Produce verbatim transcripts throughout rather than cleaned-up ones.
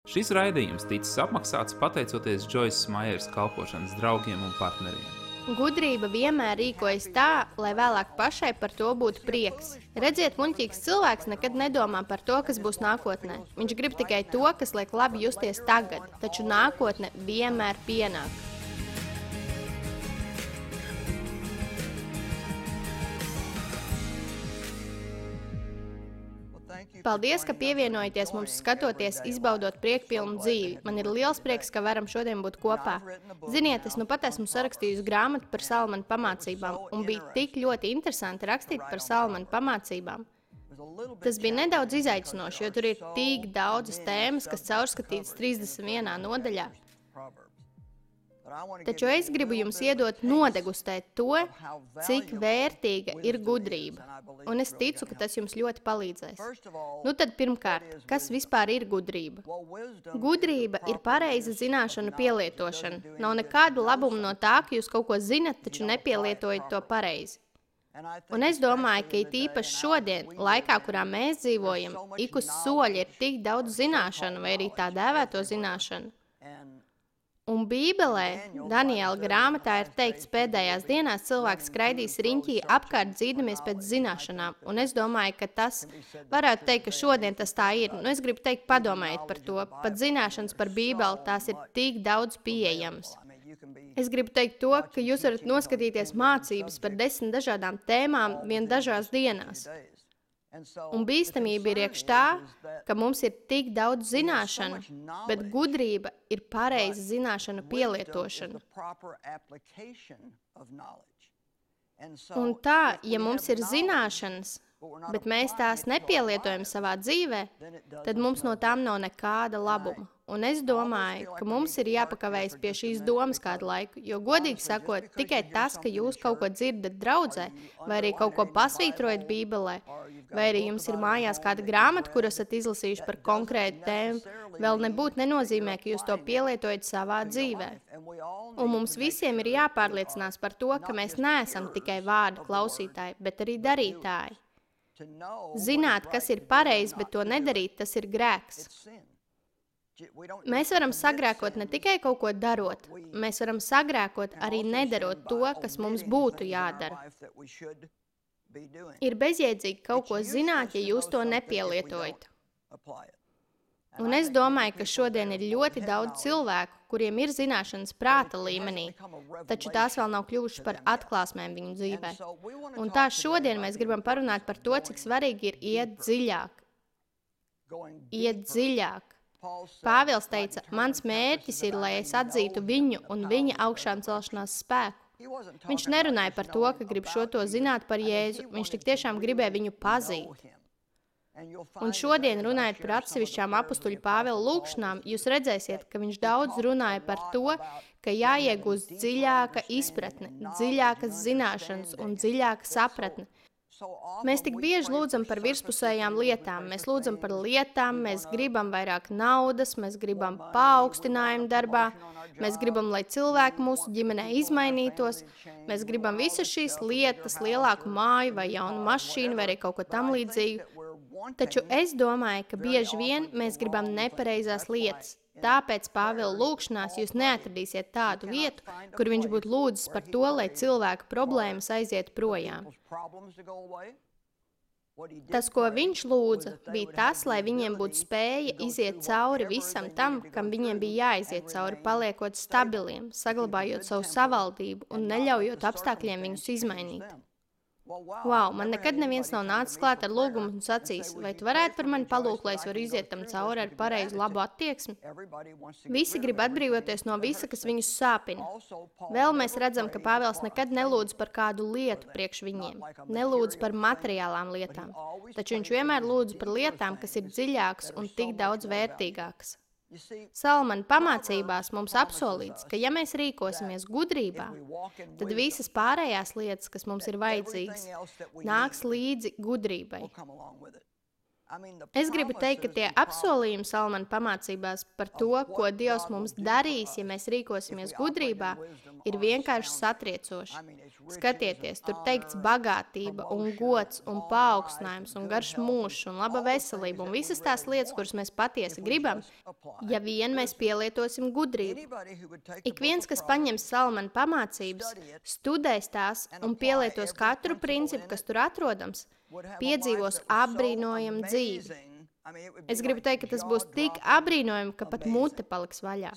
Šis raidījums ticis apmaksāts pateicoties Džoisas Maieras kalpošanas draugiem un partneriem. Gudrība vienmēr rīkojas tā, lai vēlāk pašai par to būtu prieks. Redziet, muļķīgs cilvēks nekad nedomā par to, kas būs nākotnē. Viņš grib tikai to, kas liek labi justies tagad, taču nākotne vienmēr pienāk. Paldies, ka pievienojaties mums skatoties, izbaudot priekpilnu dzīvi. Man ir liels prieks, ka varam šodien būt kopā. Ziniet, es nu pat esmu sarakstījusi grāmatu par Salamana pamācībām, un bija tik ļoti interesanti rakstīt par Salamana pamācībām. Tas bija nedaudz izaicinoši, jo tur ir tik daudzas tēmas, kas caurskatītas trīsdesmit vienā nodaļā. Taču es gribu jums iedot nodegustēt to, cik vērtīga ir gudrība. Un es ticu, ka tas jums ļoti palīdzēs. Nu tad pirmkārt, kas vispār ir gudrība? Gudrība ir pareiza zināšanu pielietošana. Nav nekāda labuma no tā, ka jūs kaut ko zinat, taču nepielietojat to pareizi. Un es domāju, ka it īpaši šodien, laikā, kurā mēs dzīvojam, ik uz soļa ir tik daudz zināšanu vai arī tā dēvēto zināšanu. Un Bībelē, Daniela grāmatā ir teikts, pēdējās dienās cilvēks skraidīs riņķī apkārt dzīdamies pēc zināšanām. Un es domāju, ka tas varētu teikt, ka šodien tas tā ir. Nu, es gribu teikt, padomājiet par to. Pat zināšanas par Bībeli, tās ir tik daudz pieejamas. Es gribu teikt to, ka jūs varat noskatīties mācības par desmit dažādām tēmām vien dažās dienās. Un bīstamība ir iekš tā, ka mums ir tik daudz zināšanu, bet gudrība ir pareiza zināšanu pielietošana. Un tā, ja mums ir zināšanas, bet mēs tās nepielietojam savā dzīvē, tad mums no tām nav nekāda labuma. Un es domāju, ka mums ir jāpakavējas pie šīs domas kādu laiku, jo godīgi sakot, tikai tas, ka jūs kaut ko dzirdat draudzē, vai arī kaut ko pasvītrojat Bībelē, vai arī jums ir mājās kāda grāmata, kur esat izlasījuši par konkrētu tēmu, vēl nebūtu nenozīmē, ka jūs to pielietojat savā dzīvē. Un mums visiem ir jāpārliecinās par to, ka mēs neesam tikai vārdu klausītāji, bet arī darītāji. Zināt, kas ir pareizi, bet to nedarīt, tas ir grēks. Mēs varam sagrēkot ne tikai kaut ko darot, mēs varam sagrēkot arī nedarot to, kas mums būtu jādara. Ir bezjēdzīgi kaut ko zināt, ja jūs to nepielietojat. Un es domāju, ka šodien ir ļoti daudz cilvēku, kuriem ir zināšanas prāta līmenī, taču tās vēl nav kļuvušas par atklāsmēm viņu dzīvē. Un tā šodien mēs gribam parunāt par to, cik svarīgi ir iet dziļāk. Iet dziļāk. Pāvils teica, mans mērķis ir, lai es atzītu viņu un viņa augšām celšanās spēku. Viņš nerunāja par to, ka grib šo to zināt par Jēzu, viņš tik tiešām gribēja viņu pazīt. Un šodien, runājot par atsevišķām apustuļu Pāvila lūkšanām, jūs redzēsiet, ka viņš daudz runāja par to, ka jāiegūst dziļāka izpratne, dziļākas zināšanas un dziļāka sapratne. Mēs tik bieži lūdzam par virspusējām lietām. Mēs lūdzam par lietām, mēs gribam vairāk naudas, mēs gribam paaugstinājumu darbā, mēs gribam, lai cilvēki mūsu ģimenē izmainītos, mēs gribam visas šīs lietas, lielāku māju vai jaunu mašīnu vai arī kaut ko tam līdzīgu. Taču es domāju, ka bieži vien mēs gribam nepareizās lietas. Tāpēc Pāvila lūkšanās jūs neatradīsiet tādu vietu, kur viņš būtu lūdzis par to, lai cilvēku problēmas aiziet projām. Tas, ko viņš lūdza, bija tas, lai viņiem būtu spēja iziet cauri visam tam, kam viņiem bija jāiziet cauri, paliekot stabiliem, saglabājot savu savaldību un neļaujot apstākļiem viņus izmainīt. Wow, man nekad neviens nav nācis klāt ar lūgumu un sacījis, vai tu varētu par mani palūgt, lai es varu iziet tam cauri ar pareizu labu attieksmi? Visi grib atbrīvoties no visa, kas viņus sāpina. Vēl mēs redzam, ka Pāvils nekad nelūdz par kādu lietu priekš viņiem, nelūdz par materiālām lietām, taču viņš vienmēr lūdz par lietām, kas ir dziļākas un tik daudz vērtīgākas. Salamana pamācībās mums apsolīts, ka ja mēs rīkosimies gudrībā, tad visas pārējās lietas, kas mums ir vajadzīgas, nāks līdzi gudrībai. Es gribu teikt, ka tie apsolījumi Salamana pamācībās par to, ko Dievs mums darīs, ja mēs rīkosimies gudrībā, ir vienkārši satriecoši. Skatieties, tur teikts bagātība un gods un paaugstinājums un garš mūžs un laba veselība un visas tās lietas, kuras mēs patiesi gribam, ja vien mēs pielietosim gudrību. Ik viens, kas paņems Salamana pamācības, studēs tās un pielietos katru principu, kas tur atrodams, piedzīvos apbrīnojamu dzīvi. Es gribu teikt, ka tas būs tik apbrīnojami, ka pat mute paliks vaļā.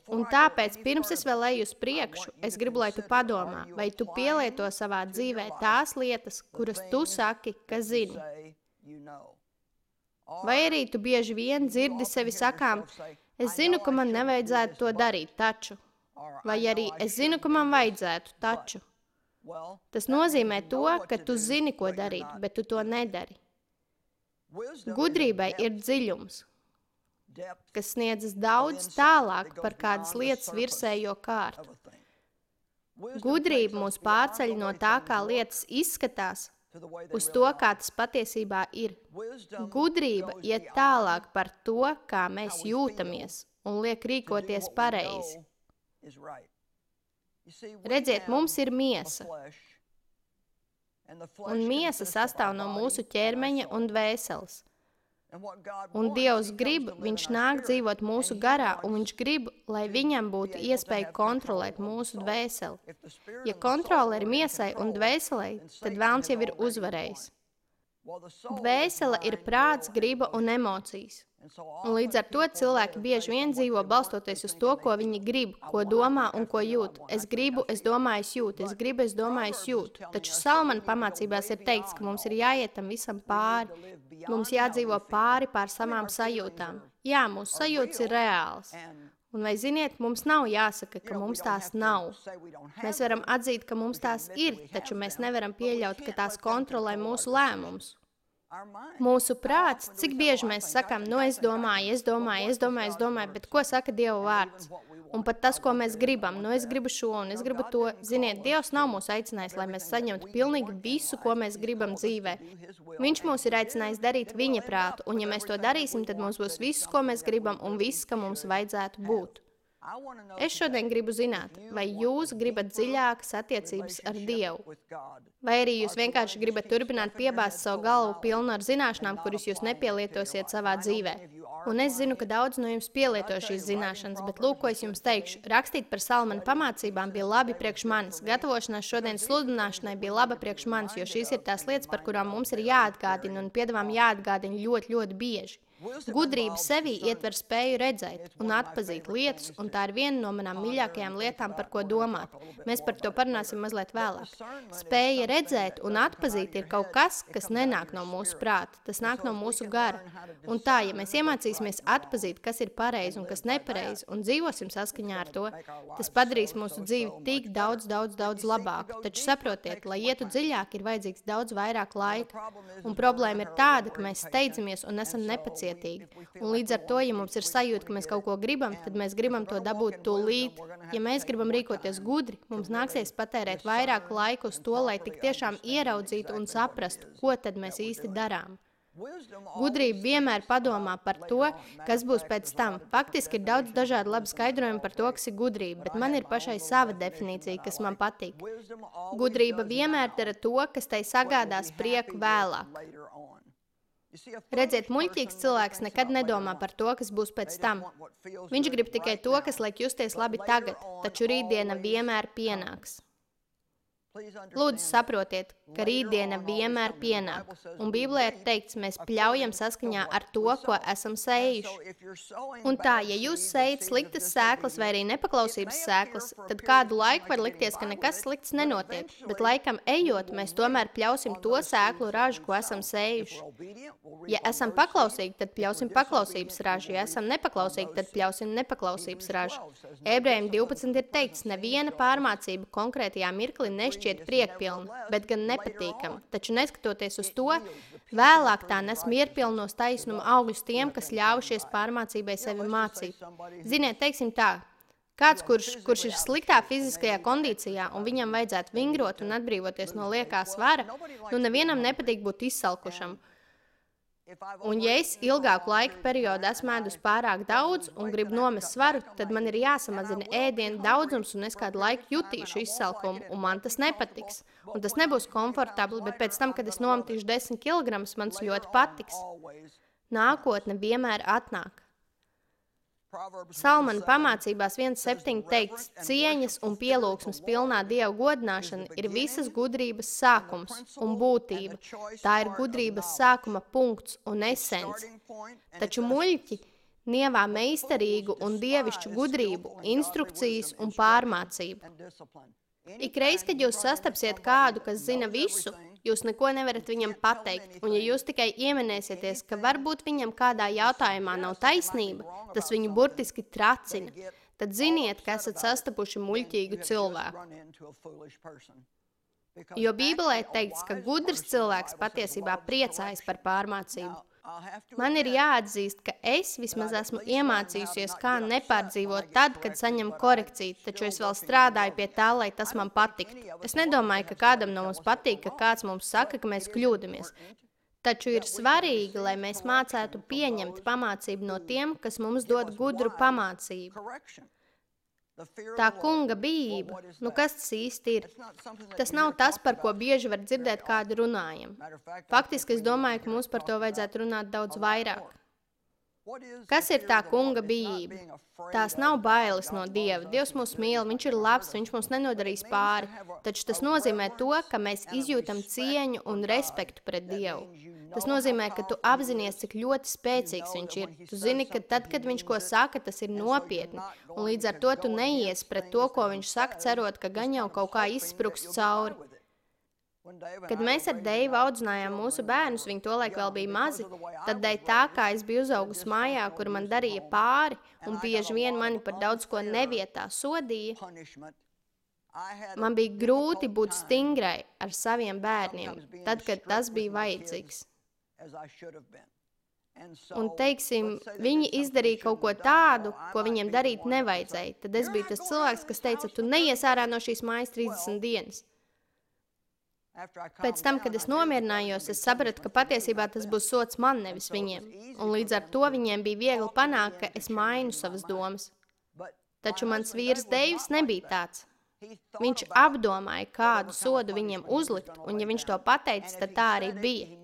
Un tāpēc, pirms es vēl eju uz priekšu, es gribu, lai tu padomā, vai tu pielieto savā dzīvē tās lietas, kuras tu saki, ka zini. Vai arī tu bieži vien dzirdi sevi sakām, es zinu, ka man nevajadzētu to darīt, taču. Vai arī es zinu, ka man vajadzētu, taču. Tas nozīmē to, ka tu zini, ko darīt, bet tu to nedari. Gudrībai ir dziļums, kas sniedzas daudz tālāk par kādas lietas virsējo kārtu. Gudrība mūs pārceļ no tā, kā lietas izskatās, uz to, kā tas patiesībā ir. Gudrība iet tālāk par to, kā mēs jūtamies, un liek rīkoties pareizi. Redziet, mums ir miesa, un miesa sastāv no mūsu ķermeņa un dvēseles. Un Dievs grib, viņš nāk dzīvot mūsu garā, un viņš grib, lai viņam būtu iespēja kontrolēt mūsu dvēseli. Ja kontrole ir miesai un dvēselei, tad velns jau ir uzvarējis. Dvēsele ir prāts, griba un emocijas. Un līdz ar to cilvēki bieži vien dzīvo balstoties uz to, ko viņi grib, ko domā un ko jūt. Es gribu, es domāju, es jūtu, es gribu, es domāju, es jūtu. Taču Salamana pamācībās ir teikts, ka mums ir jāiet tam visam pāri. Mums jādzīvo pāri pār savām sajūtām. Jā, mūsu sajūtas ir reāls. Un vai ziniet, mums nav jāsaka, ka mums tās nav. Mēs varam atzīt, ka mums tās ir, taču mēs nevaram pieļaut, ka tās kontrolē mūsu lēmumus. Mūsu prāts, cik bieži mēs sakām, nu es domāju, es domāju, es domāju, es domāju, bet ko saka Dieva vārds? Un pat tas, ko mēs gribam, nu es gribu šo un es gribu to, ziniet, Dievs nav mūs aicinājis, lai mēs saņemtu pilnīgi visu, ko mēs gribam dzīvē. Viņš mūs ir aicinājis darīt viņa prātu, un ja mēs to darīsim, tad mums būs viss, ko mēs gribam un viss, ka mums vajadzētu būt. Es šodien gribu zināt, vai jūs gribat dziļākas attiecības ar Dievu, vai arī jūs vienkārši gribat turpināt piebāzt savu galvu pilnu ar zināšanām, kuras jūs nepielietosiet savā dzīvē. Un es zinu, ka daudz no jums pielieto šīs zināšanas, bet lūk, ko es jums teikšu. Rakstīt par Salamana pamācībām bija labi priekš manis. Gatavošanās šodienas sludināšanai bija laba priekš manis, jo šīs ir tās lietas, par kurām mums ir jāatgādina un piedāvām jāatgādina ļoti, ļoti bieži. Gudrība sevī ietver spēju redzēt un atpazīt lietas, un tā ir viena no manām mīļākajām lietām, par ko domāt. Mēs par to parunāsim mazliet vēlāk. Spēja redzēt un atpazīt ir kaut kas, kas nenāk no mūsu prāta, tas nāk no mūsu gara. Un tā, ja mēs iemācīsimies atpazīt, kas ir pareizi un kas nepareizi, un dzīvosim saskaņā ar to, tas padarīs mūsu dzīvi tik daudz, daudz, daudz labāku. Taču saprotiet, lai ietu dziļāk, ir vajadzīgs daudz vairāk laika. Un problēma ir tāda, ka mēs steidzamies un esam nepacietīgi. Un līdz ar to, ja mums ir sajūta, ka mēs kaut ko gribam, tad mēs gribam to dabūt tūlīt. Ja mēs gribam rīkoties gudri, mums nāksies patērēt vairāk laiku uz to, lai tik tiešām ieraudzītu un saprastu, ko tad mēs īsti darām. Gudrība vienmēr padomā par to, kas būs pēc tam. Faktiski ir daudz dažādu labu skaidrojumu par to, kas ir gudrība, bet man ir pašai sava definīcija, kas man patīk. Gudrība vienmēr dara to, kas tai sagādās prieku vēlāk. Redziet, muļķīgs cilvēks nekad nedomā par to, kas būs pēc tam. Viņš grib tikai to, kas liek justies labi tagad, taču rītdiena vienmēr pienāks. Lūdzu, saprotiet, ka rītdiena vienmēr pienāk. Un Bībelē ir teikts, mēs pļaujam saskaņā ar to, ko esam sējuši. Un tā, ja jūs sējat sliktas sēklas vai arī nepaklausības sēklas, tad kādu laiku var likties, ka nekas slikts nenotiek. Bet laikam ejot, mēs tomēr pļausim to sēklu ražu, ko esam sējuši. Ja esam paklausīgi, tad pļausim paklausības ražu. Ja esam nepaklausīgi, tad pļausim nepaklausības ražu. Ebrejiem divpadsmit ir teikts, neviena pārmācība konkrētajā mirklī nešķiet priekpilna, bet gan nepatīkama. Taču neskatoties uz to, vēlāk tā nes mierpilnos taisnuma augļus tiem, kas ļaujušies pārmācībai sevi mācīt. Ziniet, teiksim tā, kāds, kurš, kurš ir sliktā fiziskajā kondīcijā un viņam vajadzētu vingrot un atbrīvoties no liekā svara, nu nevienam nepatīk būt izsalkušam. Un ja es ilgāku laika periodu esmu ēdus pārāk daudz un gribu nomest svaru, tad man ir jāsamazina ēdienu daudzums un es kādu laiku jutīšu izsalkumu, un man tas nepatiks. Un tas nebūs komfortabli, bet pēc tam, kad es nometīšu desmit kilogramus, man tas ļoti patiks. Nākotne vienmēr atnāk. Salmana pamācībās viens septiņi teikts, cieņas un pielūgsmes pilnā Dieva godināšana ir visas gudrības sākums un būtība. Tā ir gudrības sākuma punkts un esence. Taču muļķi nievā meistarīgu un dievišķu gudrību, instrukcijas un pārmācību. Ikreiz, kad jūs sastapsiet kādu, kas zina visu, jūs neko nevarat viņam pateikt, un ja jūs tikai ieminēsieties, ka varbūt viņam kādā jautājumā nav taisnība, tas viņu burtiski tracina, tad ziniet, ka esat sastapuši muļķīgu cilvēku. Jo Bībelē teikts, ka gudrs cilvēks patiesībā priecājas par pārmācību. Man ir jāatzīst, ka es vismaz esmu iemācījusies, kā nepārdzīvot tad, kad saņemu korekciju, taču es vēl strādāju pie tā, lai tas man patiktu. Es nedomāju, ka kādam no mums patīk, ka kāds mums saka, ka mēs kļūdamies. Taču ir svarīgi, lai mēs mācētu pieņemt pamācību no tiem, kas mums dod gudru pamācību. Tā kunga bijība, nu kas tas īsti ir? Tas nav tas, par ko bieži var dzirdēt kādu runājam. Faktiski es domāju, ka mums par to vajadzētu runāt daudz vairāk. Kas ir tā kunga bijība? Tās nav bailes no Dieva. Dievs mūs mīl, viņš ir labs, viņš mums nenodarīs pāri. Taču tas nozīmē to, ka mēs izjūtam cieņu un respektu pret Dievu. Tas nozīmē, ka tu apzinies, cik ļoti spēcīgs viņš ir. Tu zini, ka tad, kad viņš ko saka, tas ir nopietni. Un līdz ar to tu neies pret to, ko viņš saka, cerot, ka gan jau kaut kā izspruks cauri. Kad mēs ar Deivu audzinājām mūsu bērnus, viņi tolaik vēl bija mazi, tad dēļ tā, kā es biju uzaugusi mājā, kur man darīja pāri, un bieži vien mani par daudz ko nevietā sodīja, man bija grūti būt stingrai ar saviem bērniem, tad, kad tas bija vajadzīgs. Un, teiksim, viņi izdarīja kaut ko tādu, ko viņiem darīt nevajadzēja. Tad es biju tas cilvēks, kas teica, tu neies ārā no šīs mājas trīsdesmit dienas. Pēc tam, kad es nomierinājos, es sapratu, ka patiesībā tas būs sots man, nevis viņiem. Un līdz ar to viņiem bija viegli panākt, ka es mainu savas domas. Taču mans vīrs Deivs nebija tāds. Viņš apdomāja, kādu sodu viņiem uzlikt, un ja viņš to pateicis, tad tā arī bija.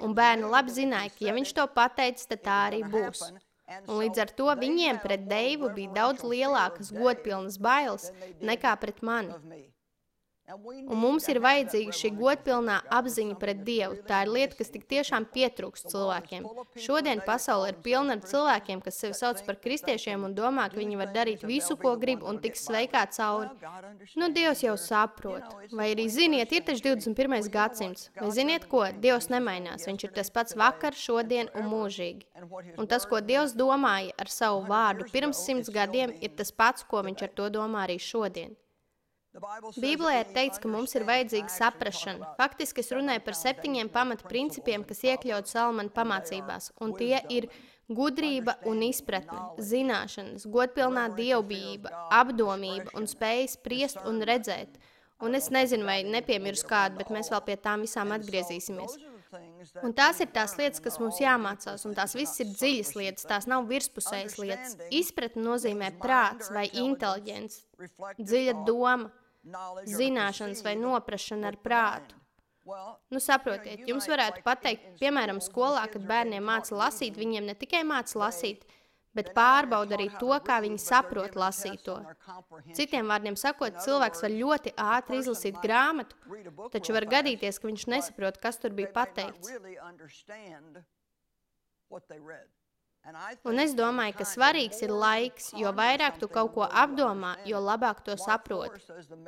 Un bērni labi zināja, ka ja viņš to pateicis, tad tā arī būs. Un līdz ar to viņiem pret Deivu bija daudz lielākas godpilnas bailes nekā pret mani. Un mums ir vajadzīga šī godpilnā apziņa pret Dievu. Tā ir lieta, kas tik tiešām pietrūkst cilvēkiem. Šodien pasaule ir pilna ar cilvēkiem, kas sevi sauc par kristiešiem un domā, ka viņi var darīt visu, ko grib un tiks sveikā cauri. Nu, Dievs jau saprot. Vai arī ziniet, ir taču divdesmit pirmais gadsimts. Vai ziniet ko? Dievs nemainās. Viņš ir tas pats vakar, šodien un mūžīgi. Un tas, ko Dievs domāja ar savu vārdu pirms simts gadiem, ir tas pats, ko viņš ar to domā arī šodien. Bībelē ir teikts, ka mums ir vajadzīga saprašana. Faktiski es runāju par septiņiem pamata principiem, kas iekļaut Salmana pamācībās, un tie ir gudrība un izpratne, zināšanas, godpilnā dievbijība, apdomība un spēja spriest un redzēt. Un es nezinu, vai nepiemirsu kādu, bet mēs vēl pie tām visām atgriezīsimies. Un tās ir tās lietas, kas mums jāmācās, un tās visas ir dziļas lietas, tās nav virspusējas lietas. Izpratne nozīmē prāts vai inteliģents, dziļa doma, zināšanas vai noprašana ar prātu. Nu, saprotiet, jums varētu pateikt, piemēram, skolā, kad bērniem māca lasīt, viņiem ne tikai māca lasīt, bet pārbauda arī to, kā viņi saprot lasīto. Citiem vārdiem sakot, cilvēks var ļoti ātri izlasīt grāmatu, taču var gadīties, ka viņš nesaprot, kas tur bija pateikts. Un es domāju, ka svarīgs ir laiks, jo vairāk tu kaut ko apdomā, jo labāk to saproti.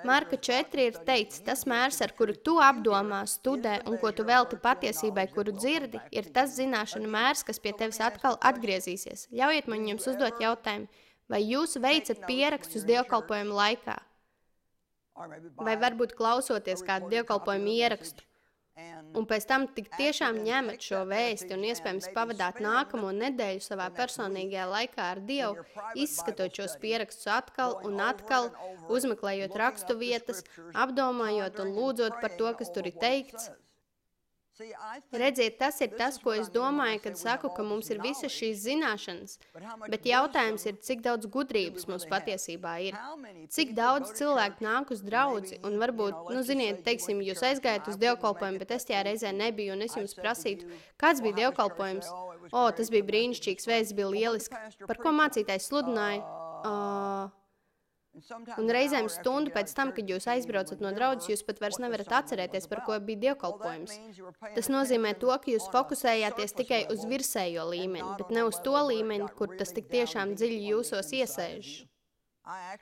Marka četri ir teikts, tas mērs, ar kuru tu apdomā, studē un ko tu velti patiesībai, kuru dzirdi, ir tas zināšanu mērs, kas pie tevis atkal atgriezīsies. Ļaujiet man jums uzdot jautājumu, vai jūs veicat pierakstus dievkalpojumu laikā? Vai varbūt klausoties kādu dievkalpojumu ierakstu? Un pēc tam tik tiešām ņemat šo vēsti un iespējams pavadāt nākamo nedēļu savā personīgajā laikā ar Dievu, izskatot šos pierakstus atkal un atkal, uzmeklējot rakstu vietas, apdomājot un lūdzot par to, kas tur ir teikts. Redziet, tas ir tas, ko es domāju, kad saku, ka mums ir visas šīs zināšanas, bet jautājums ir, cik daudz gudrības mums patiesībā ir. Cik daudz cilvēku nāk uz draudzi, un varbūt, nu ziniet, teiksim, jūs aizgājat uz dievkalpojumu, bet es tajā reizē nebiju, un es jums prasītu, kāds bija dievkalpojums? O, tas bija brīnišķīgs, vēsts bija lieliski. Par ko mācītājs sludināja? Uh, Un reizēm stundu pēc tam, kad jūs aizbraucat no draudzes, jūs pat vairs nevarat atcerēties, par ko bija dievkalpojums. Tas nozīmē to, ka jūs fokusējāties tikai uz virsējo līmeni, bet ne uz to līmeni, kur tas tik tiešām dziļi jūsos iesēž.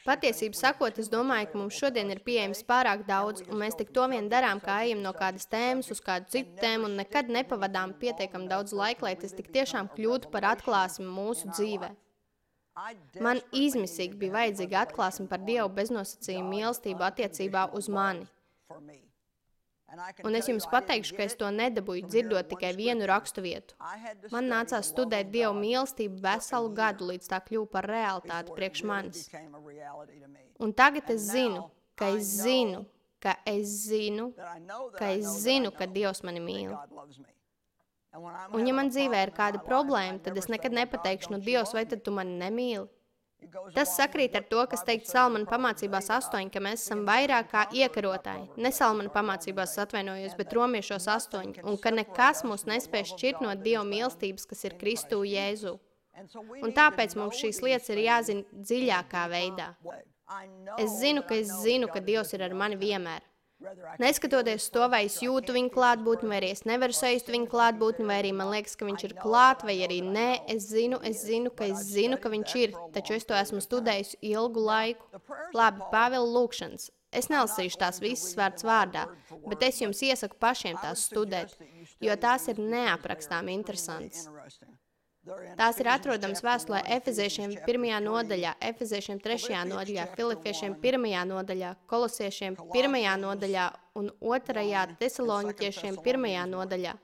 Patiesību sakot, es domāju, ka mums šodien ir pieejams pārāk daudz, un mēs tik to vien darām, kā ejam no kādas tēmas uz kādu citu tēmu, un nekad nepavadām pietiekam daudz laika, lai tas tik tiešām kļūtu par atklāsmi mūsu dzīvē. Man izmisīgi bija vajadzīga atklāsme par Dievu beznosacījumu mīlestību attiecībā uz mani. Un es jums pateikšu, ka es to nedabūju dzirdot tikai vienu raksturvietu. Man nācās studēt Dievu mīlestību veselu gadu, līdz tā kļuva par realitāti priekš manis. Un tagad es zinu, ka es zinu, ka es zinu, ka es zinu, ka Dievs mani mīl. Un ja man dzīvē ir kāda problēma, tad es nekad nepateikšu, nu Dievs, vai tad tu mani nemīli? Tas sakrīt ar to, kas teikt Salmana pamācībās astoņi, ka mēs esam vairāk kā iekarotāji. Ne Salmana pamācībās atvainojos, bet romiešos astoņi, un ka nekas mūs nespēj šķirt no Dieva mīlestības, kas ir Kristū Jēzu. Un tāpēc mums šīs lietas ir jāzina dziļākā veidā. Es zinu, ka es zinu, ka Dievs ir ar mani vienmēr. Neskatoties to, vai es jūtu viņu klātbūtni, vai arī es nevaru sajust viņu klātbūtni, vai arī man liekas, ka viņš ir klāt, vai arī nē, es zinu, es zinu, ka es zinu, ka viņš ir, taču es to esmu studējusi ilgu laiku. Labi, Pāvila lūkšanas. Es nelasīšu tās visas vārds vārdā, bet es jums iesaku pašiem tās studēt, jo tās ir neaprakstām interesantas. Tās ir atrodamas vēstulē Efeziešiem pirmajā nodaļā, Efeziešiem trešajā nodaļā, Filipiešiem pirmajā nodaļā, Kolosiešiem pirmajā nodaļā un otrajā Tesaloniķiešiem pirmajā nodaļā.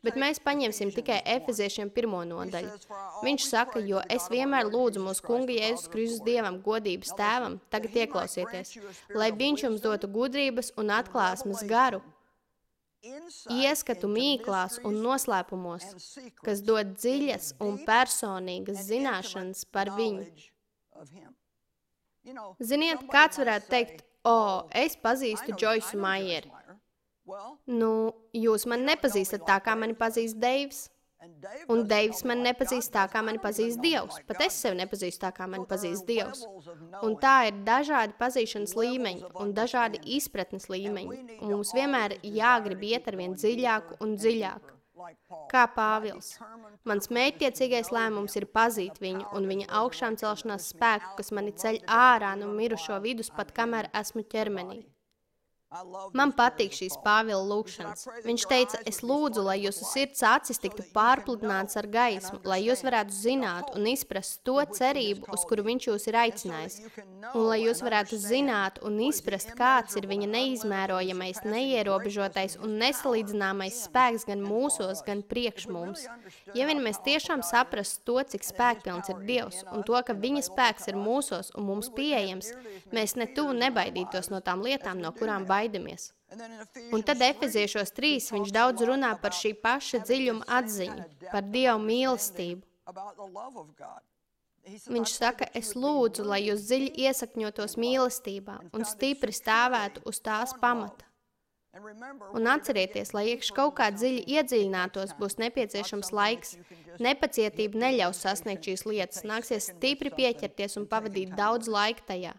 Bet mēs paņemsim tikai Efeziešiem pirmo nodaļu. Viņš saka, jo es vienmēr lūdzu mūsu kunga Jēzus Kristus Dievam, godības tēvam, tagad ieklausieties, lai viņš jums dotu gudrības un atklāsmes garu, ieskatu mīklās un noslēpumos, kas dod dziļas un personīgas zināšanas par viņu. Ziniet, kāds varētu teikt, o, es pazīstu Joyce Maieri. Nu, jūs mani nepazīstat tā, kā mani pazīst Deivs. Un Deivs mani nepazīst tā, kā mani pazīst Dievs. Pat es sevi nepazīstu tā, kā mani pazīst Dievs. Un tā ir dažādi pazīšanas līmeņi un dažādi izpratnes līmeņi. Un mums vienmēr jāgrib iet ar vien dziļāk un dziļāk. Kā Pāvils. Mans mērķtiecīgais lēmums ir pazīt viņu un viņa augšām celšanās spēku, kas mani ceļ ārā no mirušo vidus pat kamēr esmu ķermenī. Man patīk šīs Pāvila lūkšanas. Viņš teica, es lūdzu, lai jūsu sirds acis tiktu pārpludināts ar gaismu, lai jūs varētu zināt un izprast to cerību, uz kuru viņš jūs ir aicinājis, un lai jūs varētu zināt un izprast, kāds ir viņa neizmērojamais, neierobežotais un nesalīdzināmais spēks gan mūsos, gan priekš mums. Ja vien mēs tiešām saprast to, cik spēkpilns ir Dievs, un to, ka viņa spēks ir mūsos un mums pieejams, mēs ne tuvu nebaidītos no tām lietām, no kurām baidāmies. Un tad Efeziešos trīs viņš daudz runā par šī paša dziļuma atziņu, par Dievu mīlestību. Viņš saka, es lūdzu, lai jūs dziļi iesakņotos mīlestībā un stipri stāvētu uz tās pamata. Un atcerieties, lai iekš kaut kā dziļi iedziļinātos, būs nepieciešams laiks. Nepacietība neļaus sasniegt šīs lietas, nāksies stipri pieķerties un pavadīt daudz laika tajā.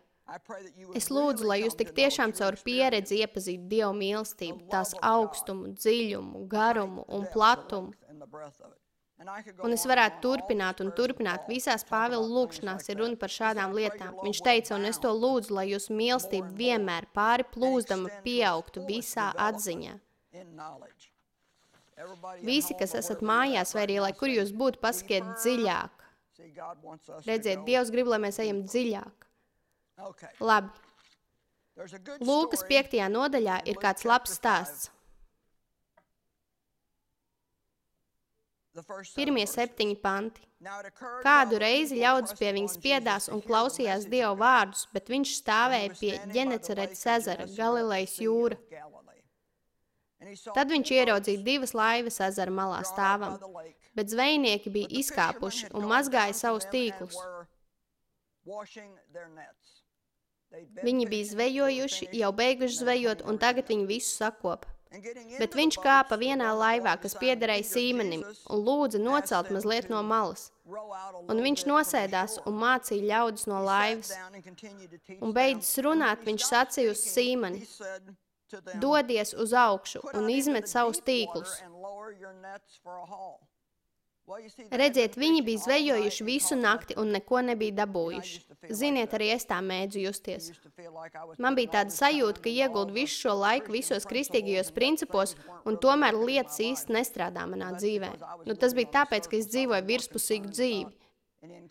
Es lūdzu, lai jūs tik tiešām caur pieredzi iepazītu Dievu mīlestību, tās augstumu, dziļumu, garumu un platumu. Un es varētu turpināt un turpināt. Visās Pāvila lūkšanās ir runa par šādām lietām. Viņš teica, un es to lūdzu, lai jūsu mīlestība vienmēr pāri plūzdama pieaugtu visā atziņā. Visi, kas esat mājās, vai arī, lai kur jūs būtu, pasakiet dziļāk. Redziet, Dievs grib, lai mēs ejam dziļāk. Labi. Lūkas piektajā nodaļā ir kāds labs stāsts. Pirmie septiņi panti. Kādu reizi ļaudis pie viņas piedās un klausījās Dieva vārdus, bet viņš stāvēja pie Ģeneceretes ezera, Galilejas jūra. Tad viņš ieraudzīja divas laivas ezera malā stāvam, bet zvejnieki bija izkāpuši un mazgāja savus tīklus. Viņi bija zvejojuši, jau beiguši zvejot, un tagad viņi visu sakopa. Bet viņš kāpa vienā laivā, kas piederēja Sīmenim, un lūdza nocelt mazliet no malas. Un viņš nosēdās un mācīja ļaudis no laivas. Un beidzis runāt, viņš sacīja uz Sīmeni: dodies uz augšu un izmet savus tīklus. Redziet, viņi bija zvejojuši visu nakti un neko nebija dabūjuši. Ziniet, arī es tā mēdzu justies. Man bija tāda sajūta, ka ieguldu visu šo laiku visos kristīgajos principos, un tomēr lietas īsti nestrādā manā dzīvē. Nu, tas bija tāpēc, ka es dzīvoju virspusīgu dzīvi.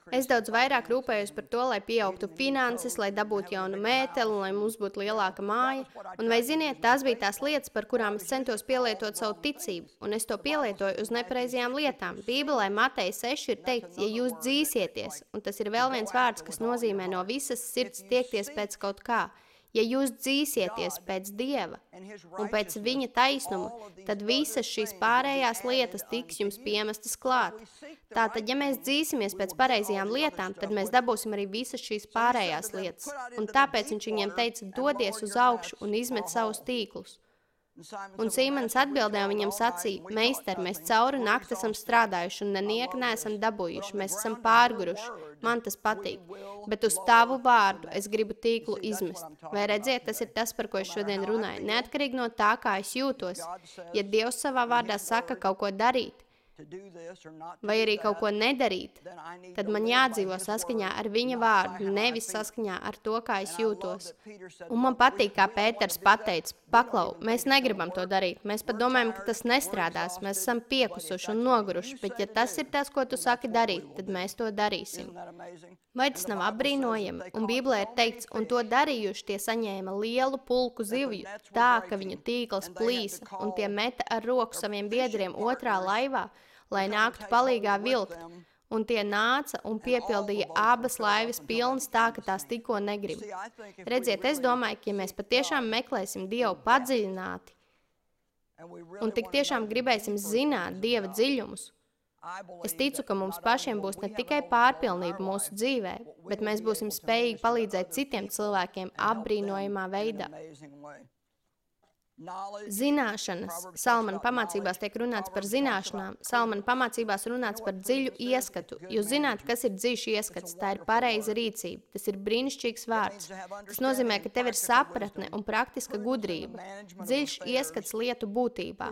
Es daudz vairāk rūpējos par to, lai pieaugtu finanses, lai dabūtu jaunu mēteli, un lai mums būtu lielāka māja. Un vai ziniet, tās bija tās lietas, par kurām es centos pielietot savu ticību, un es to pielietoju uz nepareizajām lietām. Bībelē Mateja seši ir teikts, ja jūs dzīsieties, un tas ir vēl viens vārds, kas nozīmē no visas sirds tiekties pēc kaut kā. Ja jūs dzīsieties pēc Dieva un pēc viņa taisnuma, tad visas šīs pārējās lietas tiks jums piemestas klāt. Tātad, ja mēs dzīsimies pēc pareizajām lietām, tad mēs dabūsim arī visas šīs pārējās lietas. Un tāpēc viņš viņiem teica, dodies uz augšu un izmet savus tīklus. Un Sīmenis atbildēja un viņam sacīja, meister, mēs cauri nakti esam strādājuši un nenieka neesam dabūjuši, mēs esam pārguruši, man tas patīk, bet uz tavu vārdu es gribu tīklu izmest. Vai redziet, tas ir tas, par ko es šodien runāju, neatkarīgi no tā, kā es jūtos. Ja Dievs savā vārdā saka kaut ko darīt, vai arī kaut ko nedarīt, tad man jādzīvo saskaņā ar viņa vārdu, nevis saskaņā ar to, kā es jūtos. Un man patīk, kā Pēters pateica, paklau, mēs negribam to darīt, mēs pat domājam, ka tas nestrādās, mēs esam piekusuši un noguruši, bet ja tas ir tas, ko tu saki darīt, tad mēs to darīsim. Vai tas nav apbrīnojami? Un Bībelē ir teikts, un to darījuši tie saņēma lielu pulku zivju, tā, ka viņu tīkls plīsa, un tie meta ar roku saviem biedriem otrā laivā, lai nāktu palīgā vilkt, un tie nāca un piepildīja abas laivas pilnas tā, ka tās tikko negrib. Redziet, es domāju, ka ja mēs patiešām meklēsim Dievu padziļināti, un tik tiešām gribēsim zināt Dieva dziļumus, es ticu, ka mums pašiem būs ne tikai pārpilnība mūsu dzīvē, bet mēs būsim spējīgi palīdzēt citiem cilvēkiem apbrīnojamā veidā. Zināšanas. Salmana pamācībās tiek runāts par zināšanām. Salmana pamācībās runāts par dziļu ieskatu. Jūs zināt, kas ir dziļš ieskats. Tā ir pareiza rīcība. Tas ir brīnišķīgs vārds. Tas nozīmē, ka tev ir sapratne un praktiska gudrība. Dziļš ieskats lietu būtībā.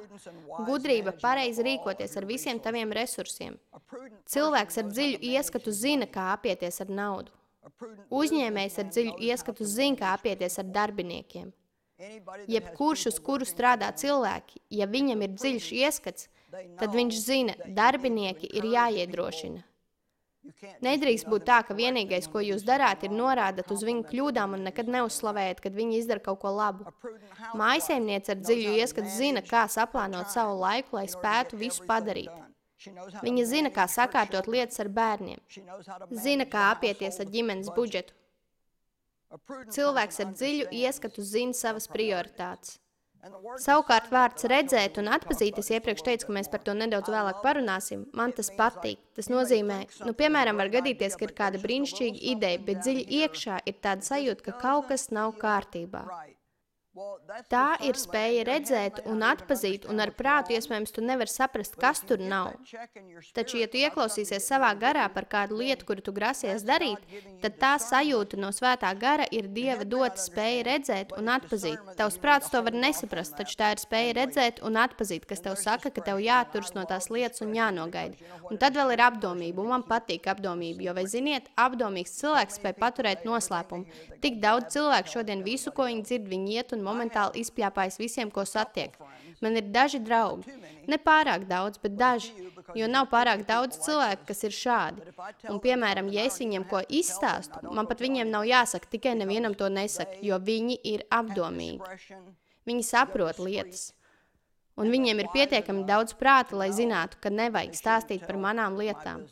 Gudrība pareizi rīkoties ar visiem taviem resursiem. Cilvēks ar dziļu ieskatu zina, kā apieties ar naudu. Uzņēmējs ar dziļu ieskatu zina, kā apieties ar darbiniekiem. Jebkurš, uz kuru strādā cilvēki, ja viņam ir dziļš ieskats, tad viņš zina, darbinieki ir jāiedrošina. Nedrīkst būt tā, ka vienīgais, ko jūs darāt, ir norādat uz viņu kļūdām un nekad neuzslavējat, kad viņi izdara kaut ko labu. Mājsaimniece ar dziļu ieskatu zina, kā saplānot savu laiku, lai spētu visu padarīt. Viņa zina, kā sakārtot lietas ar bērniem. Zina, kā apieties ar ģimenes budžetu. Cilvēks ar dziļu ieskatu zina savas prioritātes. Savukārt vārds redzēt un atpazīt, es iepriekš teicu, ka mēs par to nedaudz vēlāk parunāsim, man tas patīk. Tas nozīmē, nu, piemēram, var gadīties, ka ir kāda brīnišķīga ideja, bet dziļi iekšā ir tāda sajūta, ka kaut kas nav kārtībā. Tā ir spēja redzēt un atpazīt, un ar prātu iespējams tu nevari saprast, kas tur nav. Taču, ja tu ieklausīsies savā garā par kādu lietu, kuru tu grasies darīt, tad tā sajūta no svētā gara ir Dieva dota spēja redzēt un atpazīt. Tavs prāts to var nesaprast, taču tā ir spēja redzēt un atpazīt, kas tev saka, ka tev jāturas no tās lietas un jānogaida. Un tad vēl ir apdomība, un man patīk apdomība, jo, vai ziniet, apdomīgs cilvēks spēj paturēt noslēpumu. Tik daudz cilvēku šodien visu, ko viņi dzird, viņi iet un momentāli izpļāpājas visiem, ko satiek. Man ir daži draugi. Ne pārāk daudz, bet daži, jo nav pārāk daudz cilvēku, kas ir šādi. Un, piemēram, ja es viņiem ko izstāstu, man pat viņiem nav jāsaka, tikai nevienam to nesaka, jo viņi ir apdomīgi. Viņi saprot lietas. Un viņiem ir pietiekami daudz prāta, lai zinātu, ka nevajag stāstīt par manām lietām.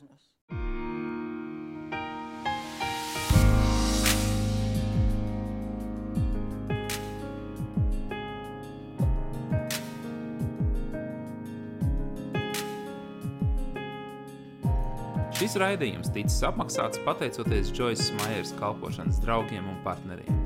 Šis raidījums ticis apmaksāts pateicoties Džoisas Maieras kalpošanas draugiem un partneriem.